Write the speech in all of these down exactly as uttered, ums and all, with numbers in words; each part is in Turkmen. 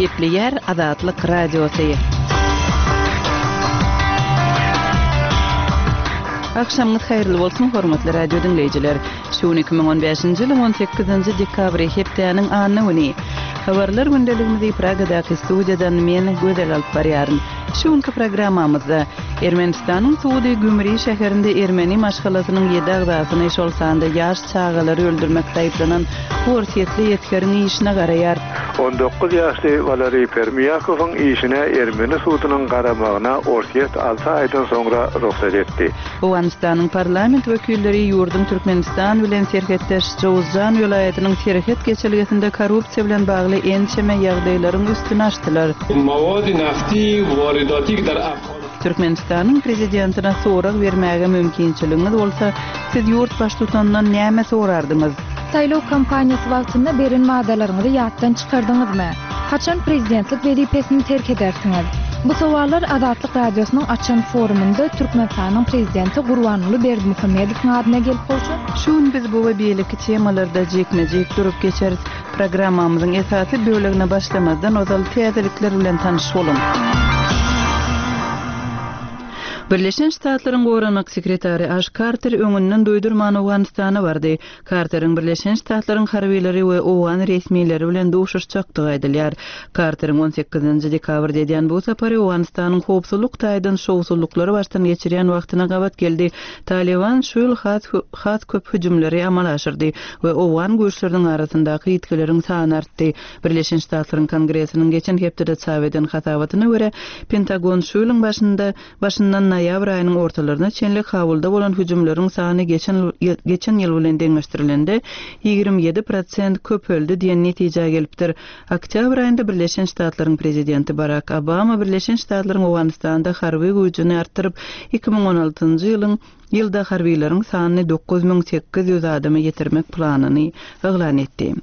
Gepleýär Azatlyk Radiosy. Agşamyňyz haýyrly bolsun, hormatly radio diňleýjiler. Şu gün iki müň on bäşinji ýylyň on sekizinji dekabry, hepdäniň anna güni. Habarlar gündeligimizi Pragadaky studiýadan men, Gözel alyp barýaryn. Şu günki programmamyzda Ermenistanyň sudy Gümri şäherinde ermeni maşgalasynyň ýedi agzasyny, şol sanda ýaş çagalary öldürmekde aýyplanan orsýetli esgeriň işine garaýar. On dokuz ýaşly Waleriý Permýakowyň işine ermeni sudunyň garamagyna Orsýet alty aýdan soňra rugsat etdi. Owganystanyň parlament wekilleri ýurduň Türkmenistan bilen serhetdeş Jowzjan welaýatynyň serhet geçelgesinde korrupsiýa bilen bagly ençeme ýagdaýlaryň üstüni açdylar. Türkmenistanyň Prezidentine sorag bermäge mümkinçiligiňiz bolsa, siz ýurt baştutanyndan näme sorardyňyz? Saýlaw kampaniýasy wagtynda beren wadalaryňyzy ýatdan çykardyňyzmy? Haçan prezidentlik wezipesini terk edersiňiz? Bu sowallar Azatlyk Radiosynyň açan forumynda Türkmenistanyň Prezidenti Gurbanguly Berdimuhamedowyň adyna gelip gowşan. Şu gün biz bu we beýleki temalarda jikme-jik durup geçeris. Programmamyzyň esasy bölegine başlamazdan ozal täzelikler bilen tanyş boluň. Birleşen Ştatlaryň Goranmak sekretary Aş Karter öňünden duýdurman Owganystana bardy. Karteriň Birleşen Ştatlaryň harbylary we owgan resmileri bilen duşuşjakdygy aýdylýar. Karteriň on sekizinji dekabrda edýän bu sapary Owganystanyň howpsuzlyk taýdan şowsuzlyklary başdan geçirýän wagtyna gabat geldi. Talyban şu ýyl has has köp hüjümleri amala aşyrdy we owgan güýçleriniň arasyndaky ýitgileriň sany artdy. Birleşen Ştatlaryň Kongresiniň geçen hepdede çap eden hasabatyna görä, Pentagon şu ýylyň başynda başyndan noýabr aýynyň ortalaryna çenli Kabulda bolan hüjümleriň sany geçen geçen ýyl bilen deňeşdirilende ýigrimi ýedi prosent köpeldi diýen netijä gelipdir. Oktýabr aýynda Birleşen Ştatlaryň prezidenti Barak Obama Birleşen Ştatlaryň Owganystanda harby güýjüni artdyryp, iki müň on altynjy ýylyň ýylda harbylaryň sanyny dokuz müň sekiz ýüz adama ýetirmek planyny yglan etdi.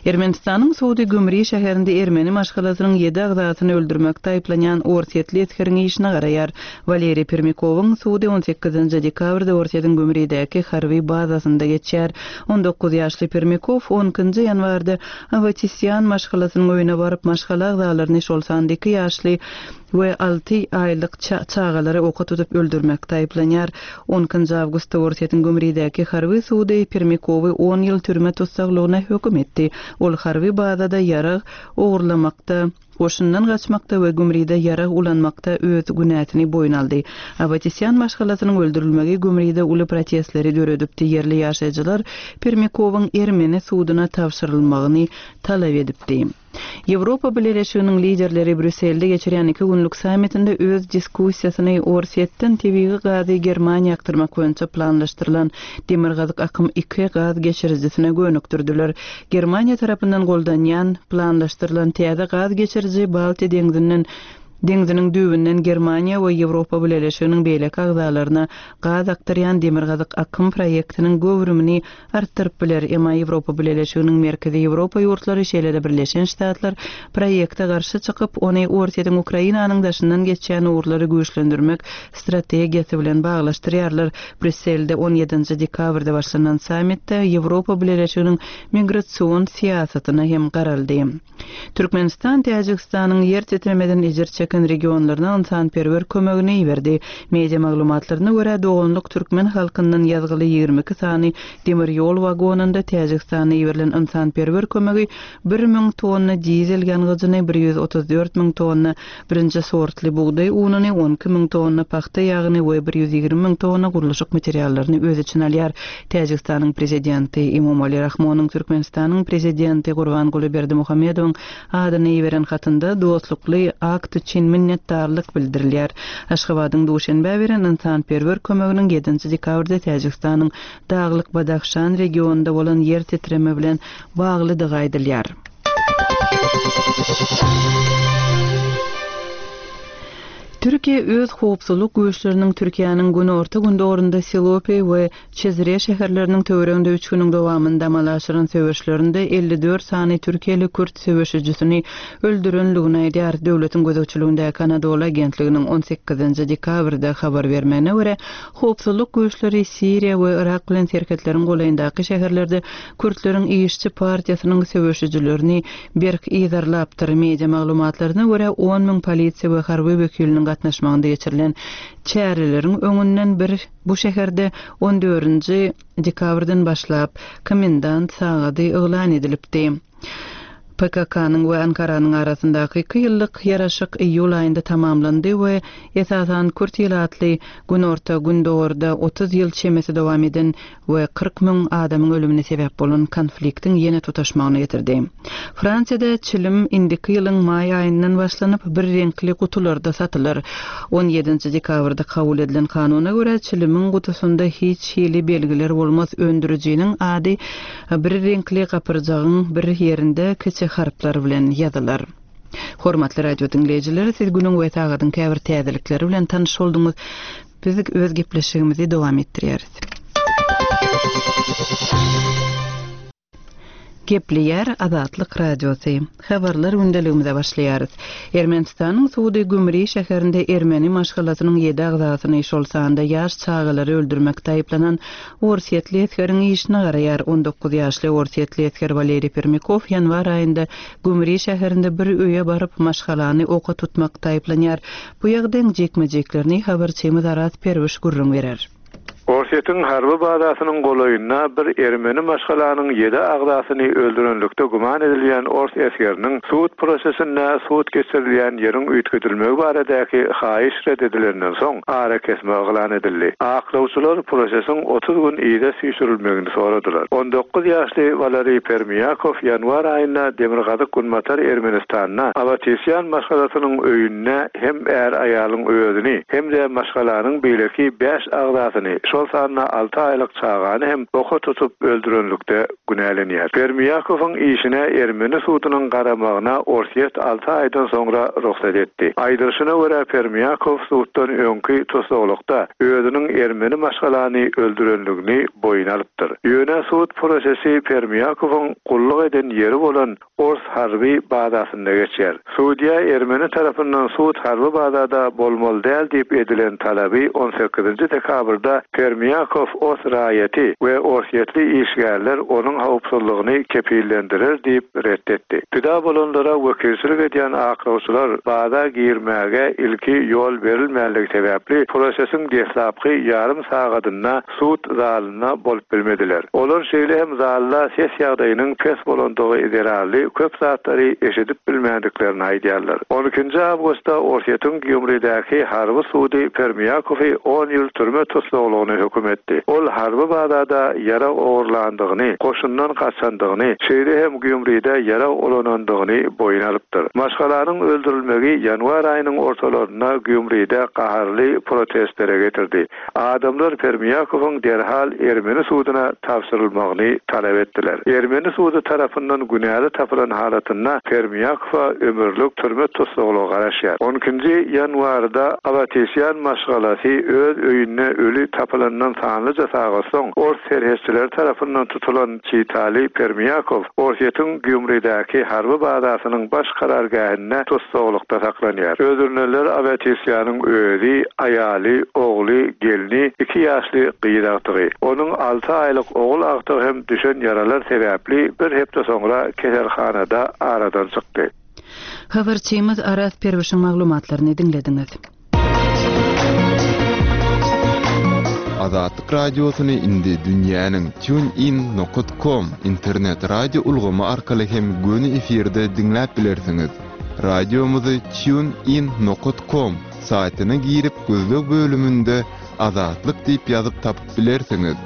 Ermenistanyň sudy Gümri şäherinde ermeni maşgalasynyň ýedi agzasyny öldürmekde aýyplanýan orsýetli esgeriň işine garaýar. Waleriý Permikowyň sudy on sekizinji dekabrda Orsýetiň Gümridäki harby bazasynda geçýär. On dokuz ýaşly Permikow on ikinji ýanwarda Awatisýan maşgalasynyň öýüne baryp maşgala agzalaryny şol sanda iki ýaşly we alty aýlyk çagalary oka tutup öldürmekde aýyplanýar. On ikinji awgustda Orsýetiň Gümridäki harby sudy Permikowy on ýyl türme tussaglygyna höküm etdi. Ol harby bazada ýarag ogurlamakda, goşundan gaçmakda we Gümride ýarag ulanmakda öz günäsini boýun aldy. Awatisýan maşgalasynyň öldürilmegi Gümride uly protestleri döredipdi. Ýerli ýaşaýjylar Permikowyň ermeni suduna tabşyrylmagyny talap edipdi. Ýewropa Bileleşiginiň liderleri Brýusselde geçirýän iki günlük sammitinde öz diskussiýasyny Orsýetden tebigy gazy Germaniýa akdyrmak boýunça planlaşdyrylan Demirgazyk akym iki gaz geçirijisine gönükdirdiler. Germaniýa tarapyndan goldanýan planlaşdyrylan täze gaz geçiriji Baltiýa deňzinden deňziniň düýbünden Germaniýa we Ýewropa Bileleşiginiň beýleki agzalaryna gaz akdyrýan Demirgazyk akym proýektiniň göwrümini artdyryp biler. Emma Ýewropa Bileleşiginiň Merkezi Ýewropa ýurtlary şeýle-de Birleşen Ştatlar proýekte garşy çykyp, ony Orsýetiň Ukrainanyň daşyndan geçýän ugurlary güýçlendirmek strategiýasy bilen baglaşdyrýarlar. Brýusselde on ýedinji dekabrda başlanan sammitde Ýewropa Bileleşiginiň migrasion syýasatyna hem garaldy. Türkmenistan Täjigistanyň ýer titremeden ejir çeken regionlaryna ynsanperwer kömegini iberdi. Media maglumatlaryna görä doganlyk türkmen halkyndan ýazgyly ýigrimi iki sany demir ýol wagonynda Täjigistana iberilen ynsanperwer kömegi bir müň tonna dizel ýangyjyny, bir ýüz otuz dört müň tonna birinji sortly bugdaý ununy, on iki müň tonna pagta ýagyny we bir ýüz ýigrimi müň tonna gurluşyk materiallaryny öz içine alýar. Täjigistanyň prezidenti Emomali Rahmonyň Türkmenistanyň prezidenti Gurbanguly Berdimuhamedowyň adyny iberen hatynda dostlukly akt üçin minnetdarlyk bildirilýär. Aşgabadyň Duşenbä beren ynsanperwer kömeginiň ýedinji dekabrda Täjigistanyň Daglyk Badahşan regionynda bolan ýer titreme bilen baglydygy aýdylýar. Türkiýe öz howpsuzlyk güýçleriniň Türkiýäniň günorta-gündogarynda Silopi we Çizre şäherleriniň töwereginde üç günüň dowamynda amala aşyran söweşlerinde elli dört sany türkiýeli kürt söweşijisini öldürenligini aýdýar. Döwletiň gözegçiligindäki Anadolu agentliginiň on sekizinji dekabrda habar bermegine görä, howpsuzlyk güýçleri Siriýa we Yrak bilen serhetleriň golaýyndaky şäherlerde kürtleriň işçi partiýasynyň söweşijilerini berk yzarlapdyr. Media maglumatlaryna görä, on müň polisiýa we harby wekiliniň gatnaşmagynda geçirilen çäreleriň öňünden bir bu şäherde on dördünji dekabrdan başlap komendant sagady yglan edilipdi. P K K-nyň we Ankaranyň arasyndaky iki ýyllyk ýaraşyk iýul aýynda tamamlandy we esasan kürt ilatly günorta-gündogarda otuz ýyl çemesi dowam eden we kyrk müň adamyň ölümine sebäp bolan konfliktiň ýene tutaşmagyna getirdi. Fransiýada çilim indiki ýylyň maý aýyndan başlanyp bir reňkli gutularda satylar. On ýedinji dekabrda kabul edilen kanuna görä çilimiň gutusynda hiç hili belgiler bolmaz. Öndürijiniň ady bir reňkli gapyrjagyň bir ýerinde kiçi harplar bilen ýazylar. Hormatly radio diňleýjiler, siz günüň we sagadyň käbir täzelikleri bilen tanyş bolduňyz. Biz öz gepleşigimizi dowam etdirýäris. Gepleýär Azatlyk Radiosy. Habarlar gündeligimize başlaýarys. Ermenistanyň sudy Gümri şäherinde ermeni maşgalasynyň ýedi agzasyny, şol sanda ýaş çagalary öldürmekde aýyplanan Orsýetli esgeriň işine garaýar. on dokuz ýaşly Orsýetli esger Waleri Permikov ýanwar aýynda Gümri şäherinde bir öýe baryp maşgalany oka tutmakda aýyplanýar. Bu ýagdaýyň jekme-jeklerini habarçymyz Araz Perwiş gürrüň berer. Orsýetiň harby bazasynyň golaýynda bir ermeni maşgalanyň ýedi agzasyny öldürenlikde güman edilýän ors esgeriniň sud prosesinde sud geçirilýän ýeriň üýtgedilmegi baradaky haýyş red edilenden soň ara kesme yglan edildi. Aklawçylar prosesiň otuz gün yza süýşürilmegini soradylar. On dokuz ýaşly Waleri Permiýakow ýanwar aýynda Demirgazyk Günbatar Ermenistanda Awatisýan maşgalasynyň öýünde hem är aýalyň özüni hem-de maşgalanyň beýleki bäş agzasyny, şol sanda alty aýlyk çagany hem oka tutup öldürenlikde günälenýär. Permiýakowyň işine ermeni sudunyň garamagyna Orsýet alty aýdan soňra rugsat etdi. Aýdylyşyna görä Permiýakow suddan öňki tusaglykda özüniň ermeni maşgalany öldürenligini boýun alypdyr. Ýöne sud prosesi Permiýakowyň gulluk eden ýeri bolan Ors harby bazasynda geçýär. Sudýa ermeni tarapyndan sud harby bazada bolmaly däl diýip edilen talaby on sekizinji dekabrda Permiýakow os raýaty we orsýetli işgärler onuň howpsuzlygyny kepillendirer diýip reddetdi. Pida bolanlara wekilçilik edýän aklawçylar baza girmäge ilki ýol berilmänligi sebäpli prosesiň deslapky ýarym sagadynda sud zalyna bolup bilmediler. Olar şeýle hem zalda ses ýagdaýynyň pes bolandygy zerarly köp satlary eşidip bilmändiklerini aýdýarlar. On ikinji awgustda Orsýetiň Gýumridäki harby sudy Permiýakowy on ýyl türme tussaglygyna höküm etdi. Ol harby bazada ýara ogurlandygyny, goşundan gaçandygyny, şeýle hem Gýumride ýara ulanandygyny boýun alypdyr. Maşgalanyň öldürilmegi ýanwar aýynyň ortalarynda Gýumride gaharly protestlere getirdi. Adamlar Permiýakowyň derhal ermeni suduna tabşyrylmagyny talap etdiler. Ermeni sudy tarapyndan günäli tapylan halatynda Permiýakowa ömürlik türme tussaglygy garaşýar. On ikinji ýanwarda Awatisýan maşgalasy öz öýünde öli tapylandan sanlyja sagat soň ors serhetçileri tarapyndan tutulan Çitali Permiýakow Orsýetiň Gýumridäki harby bazasynyň baş karargähinde tussaglykda saklanýar. Öldürilenler Awatisýanyň özi, aýaly, ogly, gelni, iki ýaşly gyz agtygy. Onuň alty aýlyk ogul agtygy hem düşen ýaralar sebäpli bir hepde soňra keselhanada aradan çykdy. Habarçymyz Araz Perwişiň maglumatlaryny diňlediňiz. Azatlyk radiosyny indi dünýäniň TuneIn nokta com internet radio ulgamy arkaly hem göni efirde diňläp bilersiňiz. Radiomyzy TuneIn nokta com saýtyna girip gözleg bölüminde Azatlyk diýip ýazyp tapyp bilersiňiz.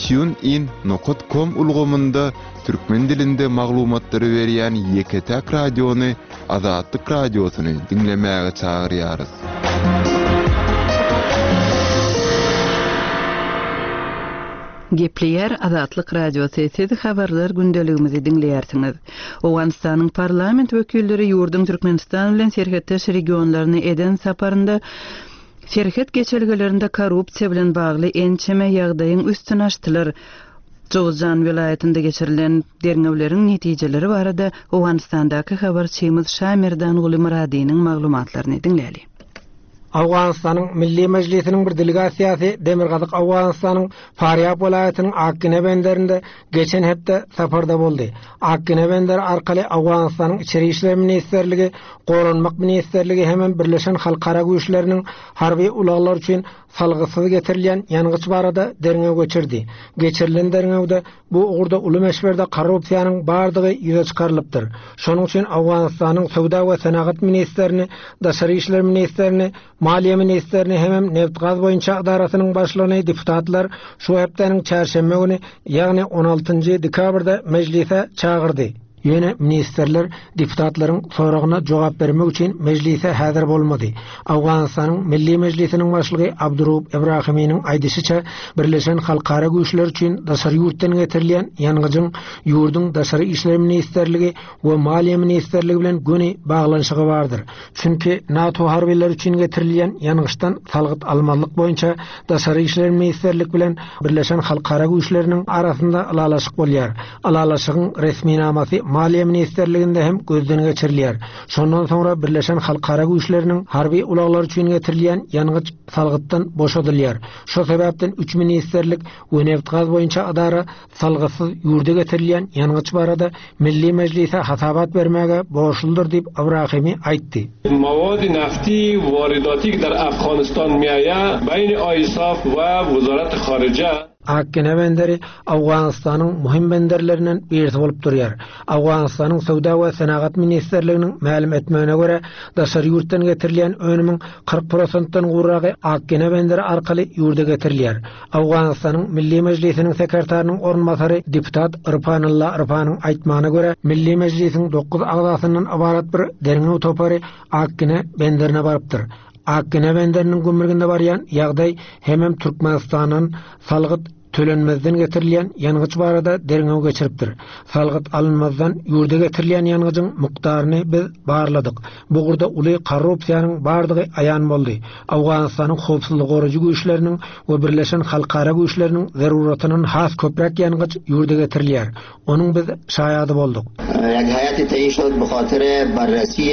TuneIn nokta com ulgamynda türkmen dilinde maglumatlary berýän ýeke-täk radiony Azatlyk radiosyny diňlemäge çagyrýarys. Gepleýär Azatlyk Radiosy, siz habarlar gündeligimizi diňleýärsiňiz. Owganystanyň parlament wekilleri ýurduň Türkmenistan bilen serhetdeş regionlaryny eden saparynda serhet geçelgelerinde korrupsiýa bilen bagly ençeme ýagdaýyň üstüni açdylar. Jowzjan welaýatynda geçirilen derňewleriň netijeleri barada Owganystandaky habarçymyz Şamirdan Muradynyň maglumatlaryny diňläli. Owganystanyň Milli Mejlisiniň bir delegasiýasy Demirgazyk Owganystanyň Farýab welaýatynyň Akgine benderinde geçen hepde saparda boldy. Akgine benderi arkaly Owganystanyň Içeri işler ministrligi, Goranmak ministrligi hem Birleşen Halkara güýçleriniň harby ulaglar üçin salgysyz getirilýän ýangyç barada derňew geçirdi. Geçirilen derňewde bu ugurda uly möçberde korrupsiýanyň bardygy ýüze çykarylypdyr. Şonuň üçin Owganystanyň Söwda we Senagat ministrini, Daşary işler ministrini, Maliýe ministrini hem Neft-gaz boýunça edarasynyň başlygyny deputatlar şu hepdäniň çarşenbe güni, ýagny on altynjy dekabrda mejlise çagyrdy. Ýöne ministrler deputatlaryň soragyna jogap bermek üçin mejlise häzir bolmady. Owganystanyň Milli Mejlisiniň başlygy Abdurub Ibrahiminiň aýdyşyça Birleşen Halkara güýçleri üçin daşary ýurtdan getirilýän ýangyjyň ýurduň Daşary işler ministrligi we Maliýe ministrligi bilen göni baglanyşygy bardyr. Çünki NATO harbileri üçin getirilýän ýangyçdan salgyt almazlyk boýunça Daşary işler ministrligi bilen Birleşen Halkara güýçleriniň arasynda ylalaşyk bolýar. Ylalaşygyň resminamasy Maliýe ministrliginde hem gözden geçirilýär. Şondan soňra Birleşen Halkara güýçleriniň harby ulaglar üçin getirilýän ýangyç salgytdan boşadylýar. Şo sebäpden üç ministrlik we neft-gaz boýunça edara salgytsyz ýurda getirilýän ýangyç barada Milli Mejlise hasabat bermäge borçludyr diýip Ibrahimi aýtdy. Mawadi nafti waridati ki dar Afghanistan miaya bayn ISAF we Wazarat Kharija Akgine benderi Owganystanyň muhim benderlerinden birisi bolup durýar. Owganystanyň Söwda we Senagat ministrliginiň mälim etmegine görä, daşary ýurtdan getirilýän önümiň kyrk prosentden gowragy Akgine benderi arkaly ýurda getirilýär. Owganystanyň Milli Mejlisiniň sekretarynyň orunbasary deputat Irfanulla Irfanyň aýtmagyna görä, Milli Mejlisiň dokuz agzasyndan ybarat bir derňew topary Akgine benderine barypdyr. Akgine benderiniň gümrüginde barýan ýagdaý hemem Türkmenistandan salgyt tölenmezden getirilýän ýangyç barada derňew geçiripdir. Salgyt alynmazdan ýurda getirilýän ýangyjyň mukdaryny biz barladyk. Bu ugurda uly korrupsiýanyň bardygy aýan boldy. Owganystanyň howpsuzlyk goraýjy güýçleriniň we Birleşen Halkara güýçleriniň zeruratynyň has köpräk ýangyç ýurda getirilýär. Onuň biz şaýady bolduk. یک هیئت تعیین شد به خاطر بررسی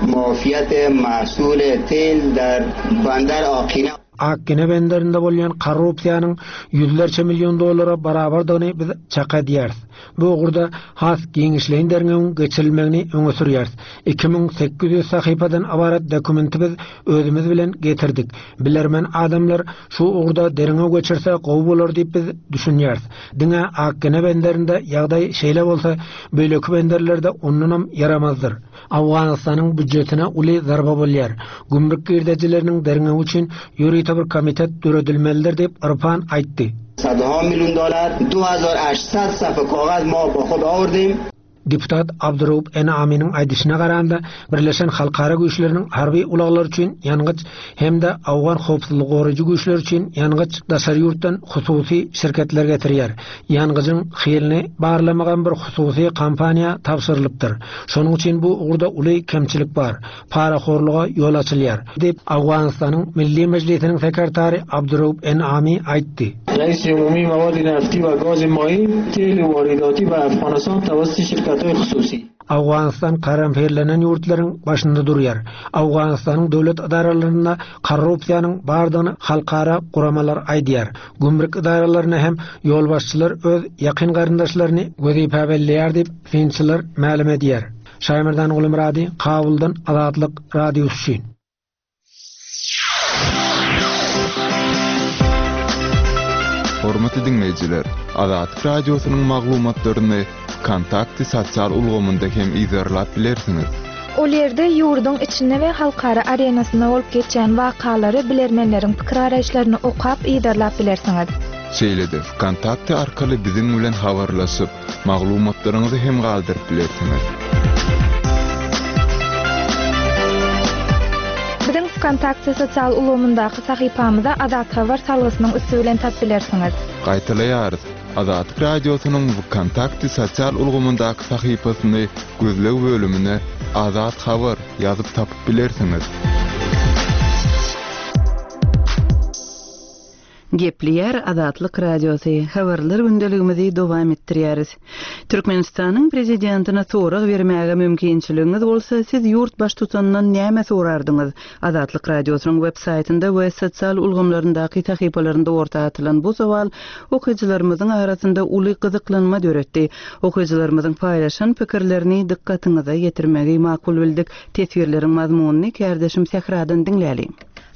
معافیت محصول تیل در بندر آقینه. Akgine benderinde bolýan korrupsiýanyň ýüzlerçe milyon dollara barabardygyny biz çak edýäris. Bu ugurda has giňişleýin derňewiň geçirilmegini öňe sürýäris. Iki müň sekiz ýüz sahypadan ybarat dokumenti biz özümiz bilen getirdik. Bilermen adamlar şu ugurda derňew geçirse gowy bolar diýip biz düşünýäris. Diňe Akgine benderinde ýagdaý şeýle bolsa, beýleki benderlerde ondanam ýaramazdyr. Owganystanyň býujetine uly zarba bolýar. Gümrük girdejileriniň derňewi üçin ýörite bir komitet döredilmelidir diýip Irfan aýtdy. Sadha milyon dolar, du hazar aştsad safa kogaz ma ba xud awrdim. Deputat Abdurub Enaminiň aýdyşyna garanda Birleşen Halkara güýçleriniň harby ulaglar üçin ýangyç hem-de Awgan howpsuzlyk goraýjy güýçler üçin ýangyç daşary ýurtdan hususy şirketler getirýär. Ýangyjyň hilini barlamagan bir hususy kompaniýa tabşyrylypdyr. Şonuň üçin bu ugurda uly kemçilik bar. Parahorluga ýol açylýar diýip Awganystanyň Milli Mejlisiniň sekretary Abdurub Enami aýtdy. Reis Umumi Mawadi Nafti we Gaz Mayi tel waridati we Afghanistan tawassuti şirketleri hususi. Awganistan karamferlenen ýurtlaryň başynda durýar. Awganistanyň döwlet edaralarynda korrupsiýanyň bardygyny halkara guramalar aýdýar. Gümrük edaralaryna hem ýolbaşçylar öz ýakyn garyndaşlaryny wezipe belleýär diýip synçylar mälim edýär. Şaýmerdan Gulmurady, Kabuldan Azatlyk Radiosy üçin. Hormatly dinleýjiler, Azatlyk Radiosynyň maglumatlaryny Kontakty sosial ulgamynda hem izerlap bilersiňiz. Ol ýerde ýurduň içinde we halkara arenasynda bolup geçýän wakalary bilermenleriň pikir araýyşlaryny okap izerlap bilersiňiz. Şeýle-de Kontakty arkaly biziň bilen habarlaşyp, maglumatlaryňyzy hem galdyryp bilersiňiz. Biziň Kontakty sosial ulgamyndaky sahypamyza Azat Habar salgysynyň üsti bilen tap bilersiňiz. Gaýtalaýarys. Azatlyk Radiosynyň VKontakte sosial ulgamyndaky sahypasyny gözleg bölümine Azat Habar ýazyp tapyp bilersiňiz. Gepleýär Azatlyk Radiosy. Habarlar gündeligimizi dowam etdirýäris. Türkmenistanyň prezidentine sorag bermäge mümkinçiligiňiz bolsa, siz ýurt baştutanyndan näme sorardyňyz? Azatlyk Radiosynyň web saýtynda we sosial ulgamlaryndaky sahypalarynda orta atylan bu sowal okyjylarymyzyň arasynda uly gyzyklanma döretdi. Okyjylarymyzyň paýlaşan pikirlerini dykgatyňyza ýetirmegi makul bildik. Teswirleriň mazmunyny kärdeşim Sähradan diňläli.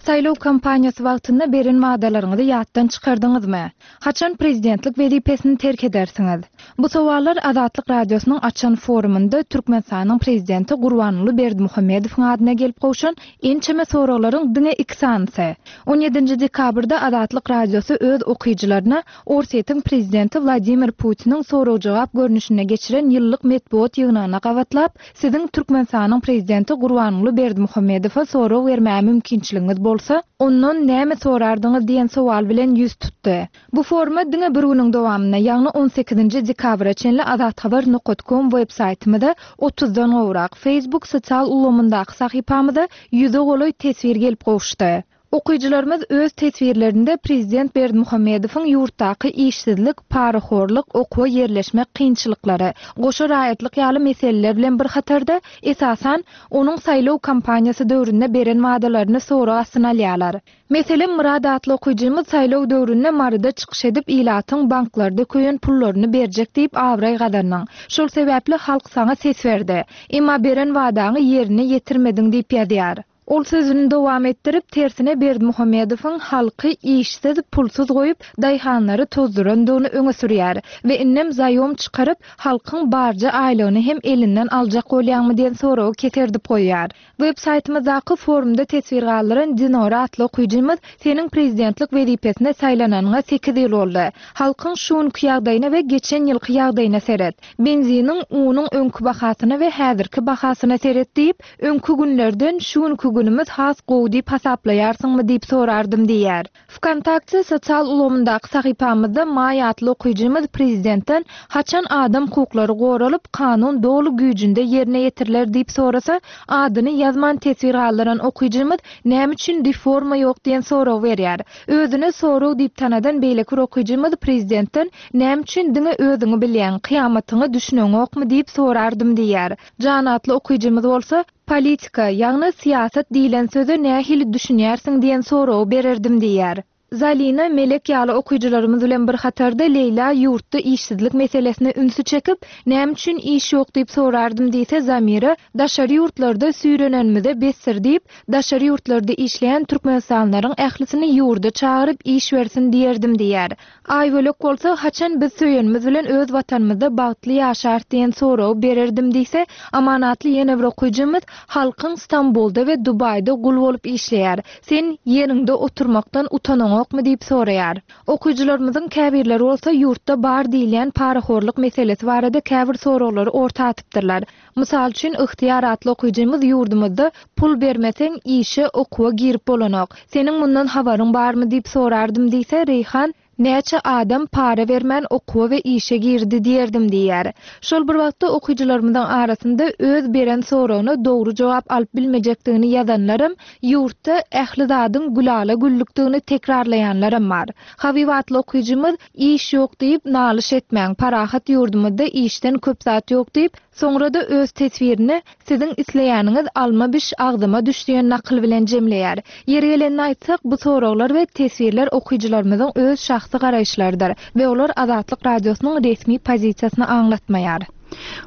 Saýlaw kampaniýasy wagtynda beren wadalaryňyzy ýatdan çykardyňyzmy? Haçan prezidentlik wezipesini terk edersiňiz? Bu sowallar Azatlyk Radiosynyň açan forumynda Türkmenistanyň prezidenti Gurbanguly Berdimuhamedowyň adyna gelip gowşan ençeme soraglaryň diňe iki sanysy. on ýedinji dekabrda Azatlyk Radiosy öz okyjylaryna Orsýetiň prezidenti Wladimir Putiniň sorag-jogap görnüşinde geçiren ýyllyk metbugat ýygnagyna gabatlap, siziň Türkmenistanyň prezidenti Gurbanguly Berdimuhamedowa sorag bermäge mümkinçiligiňiz bolsa, ondan näme sorardyňyz diýen sowal bilen ýüz tutdy. Bu foruma diňe bir günüň dowamynda, ýagny on sekizinji dekabra çenli azathabar nokta com web saýtymyzda otuzdan gowrak, Facebook sosial ulgamyndaky sahypamyzda ýüze golaý teswir gelip gowuşdy. Okyjylarymyz öz teswirlerinde prezident Berdimuhamedowyň ýurtdaky işsizlik, parahorluk, okuwa ýerleşmek kynçylyklary, goşa raýatlyk ýaly meseleler bilen bir hatarda esasan onuň saýlaw kampaniýasy döwründe beren wadalaryny sorag astyna alýarlar. Meselem, Murad atly okyjymyz saýlaw döwründe Maryda çykyş edip ilatyň banklarda köýen pullaryny berjek diýip abraý gazandyň. Şol sebäpli halk saňa ses berdi. Emma beren wadaňy ýerine ýetirmediň diýip ýazýar. Ol sözüni dowam etdirip, tersine Berdimuhamedowyň halky işsiz, pulsuz goýup, daýhanlary tozdurandygyny öňe sürýär we innem zaýom çykaryp, halkyň barja aýlygyny hem elinden aljak bolýarmy diýen soragy keserdip goýýar. Web saýtymyzdaky forumda teswir galdyran Dinora atly okyjymyz seniň prezidentlik wezipesine saýlananyňa sekiz ýyl boldy. Halkyň şu günki ýagdaýyna we geçen ýylky ýagdaýyna seret. Benziniň unuň öňki bahasyna we häzirki bahasyna seret diýip, öňki günlerden şu günki günümüz has gowy diýip hasaplaýarsyňmy diýip sorardym diýär. VKontakte sosial ulgamyndaky sahypamyzda Maý atly okyjymyz prezidentden haçan adam hukuklary goralyp, kanun doly güýjünde ýerine ýetiriler diýip sorasa, adyny ýazman teswir galdyran okyjymyz näme üçin reforma ýok diýen sorag berýär. Özüne sorag diýip tanadan beýleki bir okyjymyz prezidentden näme üçin diňe özüňi bilýän, kyýamatyňy düşüneňokmy diýip sorardym diýär. Jan atly okyjymyz bolsa politika, ýagny syýasat diýlen söze nähili düşünýärsiň diýen soragy bererdim diýär. Zalina Melek ýaly okyjylarymyz bilen bir hatarda Leýla ýurtda işsizlik meselesine ünsi çekip, näme üçin iş ýok diýip sorardym diýse Zamira, daşary ýurtlarda süýrenenimize besdir diýip, daşary ýurtlarda işleýän Türkmenistanlylaryň ählisini ýurda çagyryp iş bersin diýerdim diýär. Aýbölek bolsa haçan biz söýenimiz bilen öz watanymyzda bagtly ýaşar diýen soragy bererdim diýse, amanatly ýene bir okyjymyz halkyň Stambulda we Dubaýda gul bolup işleýär. Sen ýeriňde oturmakdan utanaňokmy diýip soraýar. Okyjylarymyzyň käbirleri bolsa ýurtda bar diýilýän parahorluk meselesi barada käbir soraglary orta atypdyrlar. Mysal üçin, Ihtiýar atly okyjymyz ýurdumyzda pul bermeseň işe okuwa girip bolanok. Seniň mundan habaryň barmy diýip sorardym diýse, Reýhan näçe adam para bermän okuwa we işe girdi diýerdim diýär. Şol bir wagtda okyjylarymyzyň arasynda öz beren soragyna dogry jogap alyp bilmejekdigini ýazanlarym, ýurtda ähli zadyň gülala güllükdigini tekrarlaýanlarym bar. Habib atly okyjymyz iş ýok diýip nalyş etmäň, parahat ýurdumyzda işden köp zat ýok diýip, soňra da öz teswirini siziň isleýäniňiz alma biş agzyma düş diýen nakyl bilen jemleýär. Ýeri gelenini aýtsak, bu soraglar we teswirler okyjylarymyzyň öz şahsy garaýyşlarydyr we olar Azatlyk Radiosynyň resmi pozisiýasyny aňlatmaýar.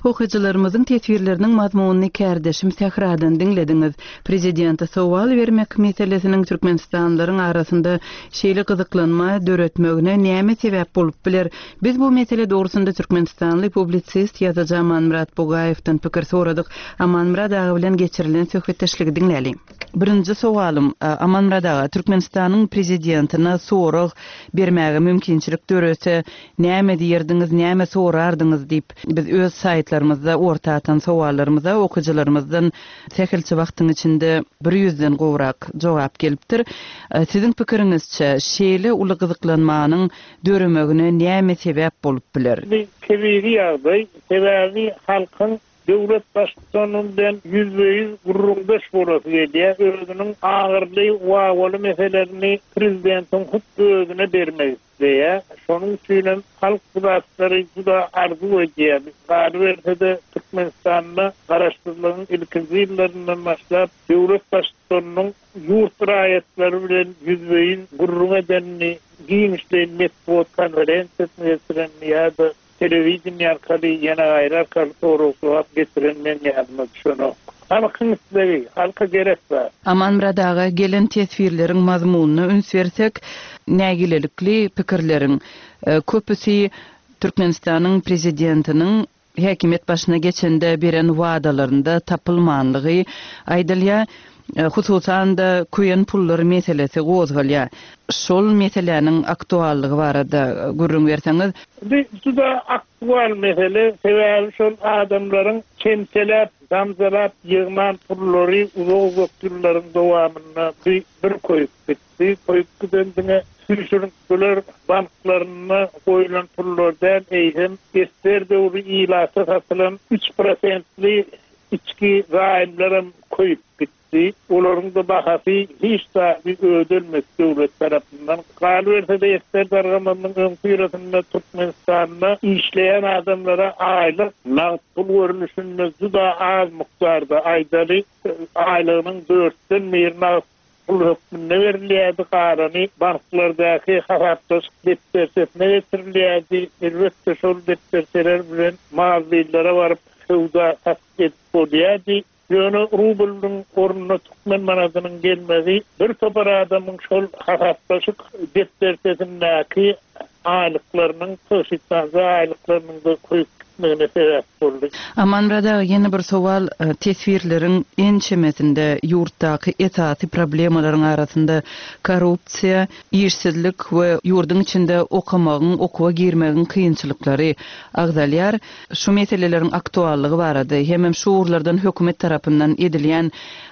Okyjylarymyzyň teswirleriniň mazmunyny kärdeşim Sähradan diňlediňiz. Prezidente sowal bermek meselesiniň Türkmenistanlylaryň arasynda şeýle gyzyklanma döretmegine näme sebäp bolup biler? Biz bu mesele dogrusynda Türkmenistanly publisist ýazyjy Amanmyrat Bugaýewden pikir soradyk. Amanmyrat aga bilen geçirilen söhbetdeşligi diňläliň. Birinji sowalym, Amanmyrat aga, Türkmenistanyň prezidentine sorag bermäge mümkinçilik dörese, näme diýerdiňiz, näme sorardyňyz diýip, biz öz saýtlarymyzda orta atan sowallarymyza okyjylarymyzdan sähelçe wagtyň içinde bir ýüzden gowrak jogap gelipdir. Siziň pikiriňizçe, şeýle uly gyzyklanmanyň döremegine näme sebäp bolup biler? Bu tebigy ýagdaý, sebäbi halkyň döwlet baştutany bilen ýüzbe-ýüz gürrüňdeş bolasy gelýär. Özüniň agyrly, wawaly meselelerini prezidentiň hut özüne bermek isleýär. Şonuň üçin hem halk bu zatlary juda arzuw edýär. Galyberse-de Türkmenistanda garaşsyzlygyň ilkinji ýyllaryndan başlap döwlet baştutanynyň ýurt raýatlary bilen ýüzbe-ýüz gürrüň edenini, giňişleýin metbugat konferensiýasyny geçirenini ýa-da telewideniýe arkaly ýene gaýry arkaly sorag-jogap getiren men ýadyma düşenok. Halkyň islegi, halka gerek zat. Amanmyrat aga, gelen teswirleriň mazmunyna üns bersek, nägilelikli pikirleriň köpüsi Türkmenistanyň prezidentiniň häkimiýet başyna geçende beren wadalarynda tapylmanlygy aýdylýar. Hususan-da köýen pullar meselesi gozgalýar. Şol meseläniň aktuallygy barada gürrüň berseňiz. Bu juda aktual mesele, sebäbi şol adamlaryň çemçeläp, damjalap ýygnan pullary uzak-uzak ýyllaryň dowamynda bir, bir köýüp gitdi. Köýüp giden diňe süýşürintgiler banklarynda goýulan pullar däl, eýsem ester döwri ilata satylan üç prosentli içki zaýymlaram köýüp gitdi. Olaryň da bahasy hiç zady ödelmedi döwlet tarapyndan. Galyberse-de ester dargamanyň öň syrasynda Türkmenistanda işleýän adamlara aýlyk nagt pul görnüşinde juda az mukdarda aýdaly, aýlygynyň dörtden bir nagt pul hökmünde berilýärdi, galany banklardaky hasaplaşyk depderçesine getirilýärdi. Elbetde şol depderçeler bilen mağazalara baryp söwda satyn edip bolýardy. Ýöne rublyň ornuna türkmen manadynyň gelmegi bir topar adamyň şol hasaplaşyk depderçesindäki aýlyklarynyň, tygşytlanja aýlyklarynyň da köýüp gitmegine sebäp boldy. Amanmyrat aga, ýene bir sowal, teswirleriň ençemesinde ýurtdaky esasy problemalaryň arasynda korrupsiýa, işsizlik we ýurduň içinde okamagyň, okuwa girmegiň kynçylyklary agzalýar. Şu meseleleriň aktuallygy barada, hemem şu ugurlardan hökümet tarapyndan edilýän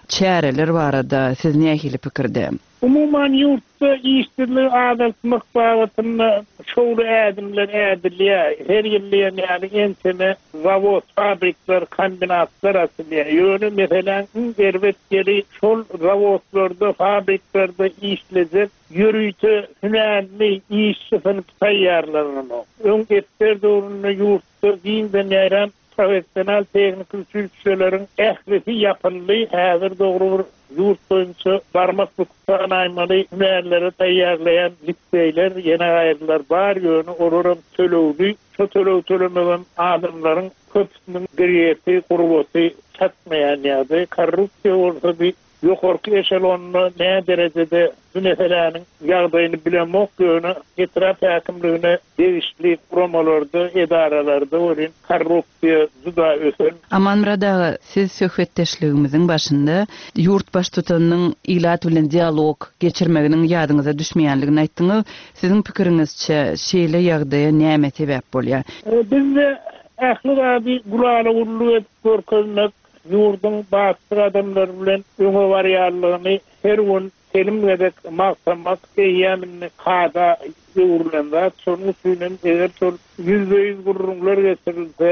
çäreler barada siz nähili pikirde? Umuman ýurtda işsizligi azaltmak babatynda şowly ädimler ädilýär. Her ýyl diýen ýaly ençeme zawod, fabrikler, kombinatlar açylýar. Ýöne meseläň iň erbet ýeri şol zawodlarda, fabriklerde işlejek ýörite hünärli işçi synpy taýýarlananok. Öň ester döwründe ýurtda giňden ýaýran professional tehniki uçilişeleriň ählisi ýapyldy. Häzir dogry bir ýurt boýunça barmak büküp hünärlere taýýarlaýan liseýler, ýene gaýrylar bar, ýöne olaram tölegli. Şo töleg tölemegem adamlaryň köpüsiniň girýeti, gurbaty çatmaýan ýagdaý. Korrupsiýa bolsa bir ýokarky eşelonda nä derejede bu meseläniň ýagdaýyny bilemok, ýöne etrap häkimligine degişli guramalarda, edaralarda welin korrupsiýa juda ösen. Amanmyrat aga, siz söhbetdeşligimiziň başynda ýurt baştutanynyň ilat bilen dialog geçirmeginiň ýadyňyza düşmeýänligini aýtdyňyz. Siziň pikiriňizçe şeýle ýagdaýa näme sebäp bolýar? E, bizde ähli zady gulala gullu edip görkezmek, ýurduň batly adamlar bilen öňe barýanlygyny her gün selim gezek magtamak eýýämini kada öwrülen zat. Şonuň üçin hem eger şol ýüzbe-ýüz gürrüňler getirilse,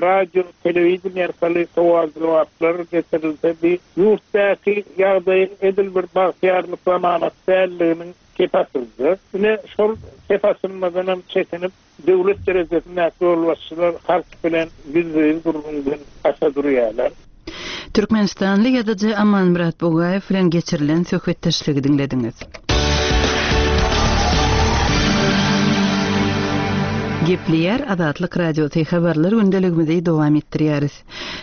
radio, telewideniýe arkaly sowal-jogaplar getirilse, bir ýurtdaky ýagdaýyň edil bir bagtyýarlyk zamanat dälliginiň kep atyldy. Ine şol kep atylmadan hem çekinip döwlet derejesindäki ýolbaşçylar halk bilen ýüzbe-ýüz gürrüňden gaça durýarlar. Türkmenistanly ýazyjy Amanmyrat Bugaýew bilen geçirilen söhbetdeşligi diňlediňiz. Gepleýär Azatlyk Radiosy habarlar gündeligimizi dowam etdirýäris.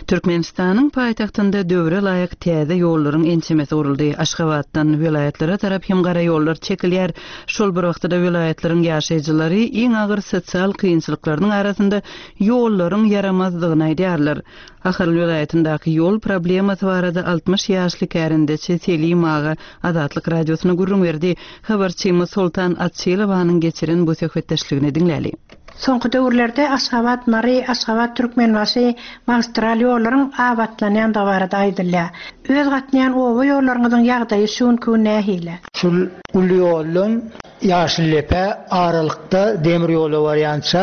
Türkmenistanyň paýtagtynda döwre laýyk täze ýollaryň ençemesi guruldy. Aşgabatdan welaýatlara tarap hem gara ýollar çekilýär. Şol bir wagtda welaýatlaryň ýaşaýjylary iň agyr sosial kynçylyklarynyň arasynda ýollaryň ýaramazdygyny aýdýarlar. Ahal welaýatyndaky ýol problemasy barada altmyş ýaşly kärendeçi Selim aga Azatlyk Radiosyna gürrüň berdi. Habarçymyz Soltan Açylowanyň geçiren bu söhbetdeşligini diňläli. Soňky döwürlerde Aşgabat, Mary, Aşgabat, Türkmenbaşy magistral ýollaryň abatlanýandygy barada aýdylýar. Öz gatnaýan oba ýollaryňyzyň ýagdaýy şu günki gün nähili? Şul uly ýoldan Ýaşyldepe aralykda demir ýola barýança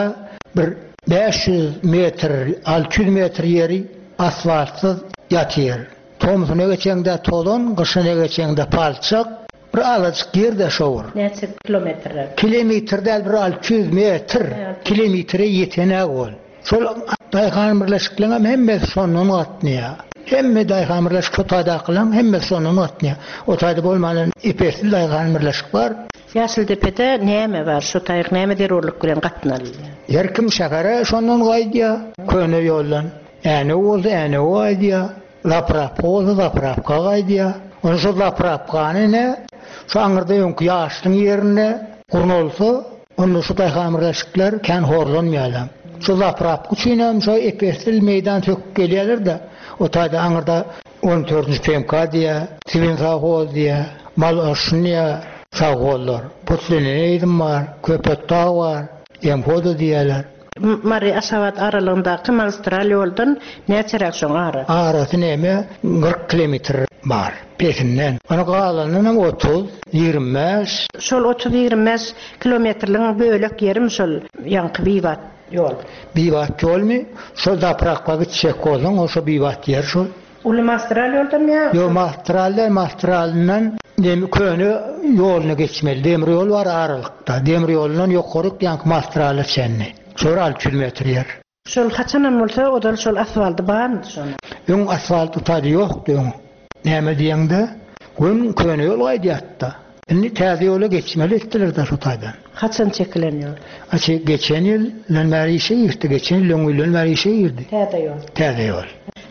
bir bäş ýüz metr, alty ýüz metr ýeri asfaltsyz ýatyr. Tomsuna geçeňde tozan, gyşyna geçeňde palçak, bir azajyk ýerde şowur. Näçe kilometrler? Kilometr däl, bir alty ýüz metr, kilometre ýetenäk ol. Şol daýhan birleşikleň hem hemmesi şondan gatnaýar. Hemme daýhan birleşik şo taýdakylaň hemmesi şondan gatnaýar. O taýda bolman epesli daýhan birleşik bar. Ýaşyldepede näme bar? Şo taýyk näme zerurlyk bilen gatnalýar? Her kim şähere şondan gaýdýar, köne ýoldan. Äne bolsa äne gaýdýar, zaprapka bolsa zaprapka gaýdýar. Onu şo zaprapkany ne? Şu aňyrda öňki ýaşlyň ýerinde gurnalsa, onda şu daýhan birleşikler kän horlanmaýarlar. Şu zaprapka üçin hem şo epesli meýdan söküp gelýärler-de, o taýda aňyrda on dördünji P M K diýä, Sibin sahol diýä, mal aşyn diýä, sahollar. Putlenene eýdim bar, Köpetdag bar, Emhoda diýýärler. Mary Aşgabat aralygyndaky magistral ýoldan näçeräk şoň arasy? Arasy näme? Kyrk kilometr bar pesinden. Ony galanyndan hem otuz, ýigrimi bäş. Şol otuz, ýigrimi bäş kilometrligiň bölek ýerim şol ýaňky bibat ýol. Bibat ýolmy? Şol zaprakga gitjek bolsaň, o şo bibat ýer şol. Uly magistral ýoldan ýa? Ýok, magistral däl, magistralyndan demi köne ýoluna geçmeli. Demir ýol bar aralykda. Demir ýolundan ýokaryk ýaňky magistrala çenli. Şol alty ýüz metr ýer. Şol haçanam bolsa odal şol asfalty barmydy şonuň? Öň asfalt utady ýokdy öň. Näme diýeňde, gün köne ýol gaýdýardy. Indi täze ýola geçmeli etdiler-de şu taýdan. Haçan çekilen ýol? Açy geçen ýyl bäri işe girdi, geçen ýyl öň ýyldan bäri işe girdi. Täze ýol. Täze ýol.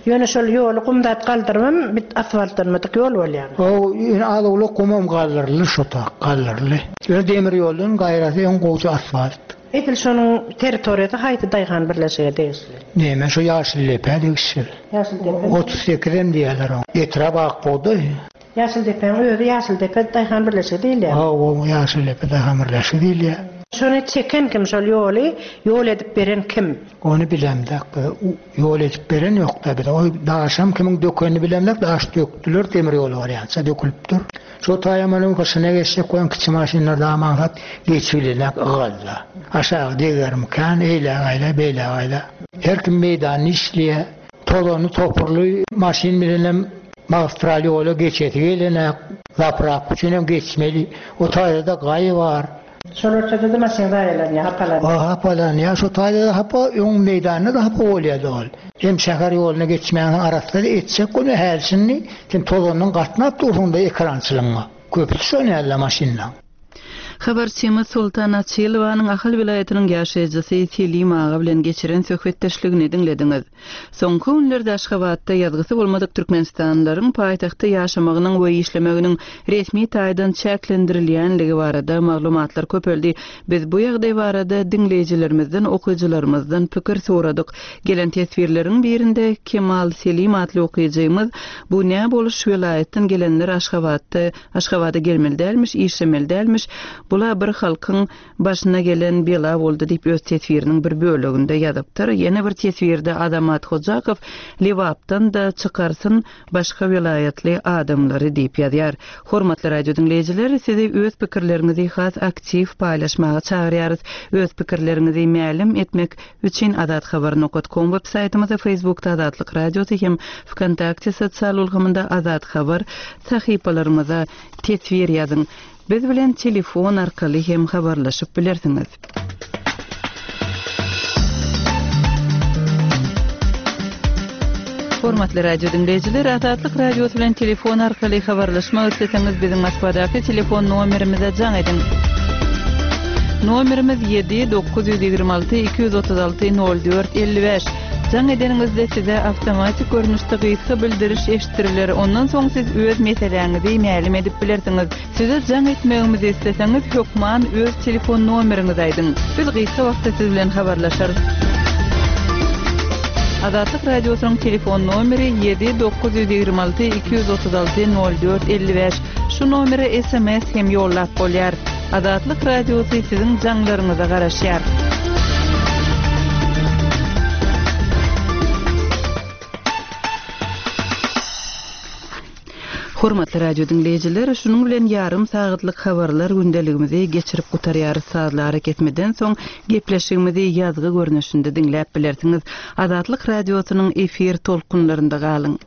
Ýöne şol ýoly gumdat galdyrmam, bit asfaltlanmadyk ýol bolýar. O, ýöne az-owlak gumam galdyryldy şu tak, galdyryldy. Ýöne demir ýoldan gaýrasy öň gowja asfalt. Edil şonuň territoriýasy haýsy daýhan birleşige degişli? Näme şu Ýaşyldepe degişli. Ýaşyldepe. Otuz sekiz hem diýerler oňa. Etrap Akbugdaý. Ýaşyldepäň özi Ýaşyldepe daýhan birleşigi diýilýär. Ha, o Ýaşyldepe daýhan birleşigi diýilýär. Şony çeken kim, şol ýoly ýol edip beren kim? Ony bilemdek, ýol edip beren ýok da bize. O daşam kimiň dökenini bilemdek, daş döktüler, demir ýoly barýança dökülipdir. Şo taýamanyň gyşyna geçjek goýan kiçi maşynlar da maňsat geçilenek ygalla. Aşağı degerim kan, eýle gaýla, beýle gaýla. Her kim meýdanyny işleýär. Tozany topurly maşyn bilenem magistral ýola geçesi gelenek, zaprap üçin hem geçmeli. O taýda gaý bar. Şol ortada da maşyn zaýalanýar, hapalanýar. Ha, hapalanýar. Şo taýda da hapa, öň meýdanda da hapa bolýardy ol. Hem şäher ýoluna geçmäniň arasynda etjek güni hälşini, sen tozanyň gatnap dursuň da ekrançylygyňa. Köpüsi şo näle maşynlaň. Habarçymyz Sultan Açylowanyň Ahal welaýatynyň ýaşaýjysy Selim aga bilen geçiren söhbetdeşligini diňlediňiz. Soňky günlerde Aşgabatda ýazgysy bolmadyk Türkmenistanlylaryň paýtagtda ýaşamagynyň we işlemeginiň resmi taýdan çäklendirilýänligi barada maglumatlar köpeldi. Biz bu ýagdaý barada diňleýjilerimizden, okyjylarymyzdan pikir soradyk. Gelen teswirleriň birinde Kemal Selim atly okyjymyz bu näme boluş welaýatdan gelenler Aşgabatda, Aşgabada gelmeli dälmiş, işlemeli dälmiş. Bula bir halkyň başyna gelen bela boldy diýip öz teswiriniň bir böleginde ýazypdyr. Ýene bir teswirde Azamat Hojakow Lebapdan da çykarsyn başga welaýatly adamlary diýip ýazýar. Hormatly radio diňleýjiler, sizi öz pikirleriňizi has aktiw paýlaşmaga çagyrýarys. Öz pikirleriňizi mälim etmek üçin Azat Habar nokta com web saýtymyzda, Facebookda Azatlyk Radiosy hem Vkontakte sosial ulgamynda Azat Habar sahypalarymyza teswir ýazyň. Biz bilen telefon arkaly hem habarlaşyp bilersiňiz. Hormatly radio diňleýjiler, Azatlyk Radiosy bilen telefon arkaly habarlaşmak isleseňiz biziň Moskwadaky telefon nomerimize jaň ediň. Nomerimiz ýedi dokuz ýüz ýigrimi alty iki ýüz otuz alty nol dört elli bäş. Jaň edeniňizde size awtomatik görnüşde gysga bildiriş eşitdiriler, ondan soň siz öz meseläňizi mälim edip bilersiňiz. Size jaň etmegimizi isleseňiz, hökman öz telefon nomeriňizi aýdyň. Biz gysga wagtda siz bilen habarlaşarys. Azatlyk Radiosynyň telefon nomeri ýedi dokuz ýüz ýigrimi alty iki ýüz otuz alty nol dört elli bäş. Şu nomere sms hem ýollap bolýar. Azatlyk Radiosy siziň jaňlaryňyza garaşýar. Hormatly radio diňleýjiler, şunuň bilen ýarym sagatlyk habarlar gündeligimizi geçirip gutarýarys. Sazly arakesmeden soň gepleşigimizi ýazgy görnüşinde diňläp bilersiňiz. Azatlyk Radiosynyň efir tolkunlarynda galyň.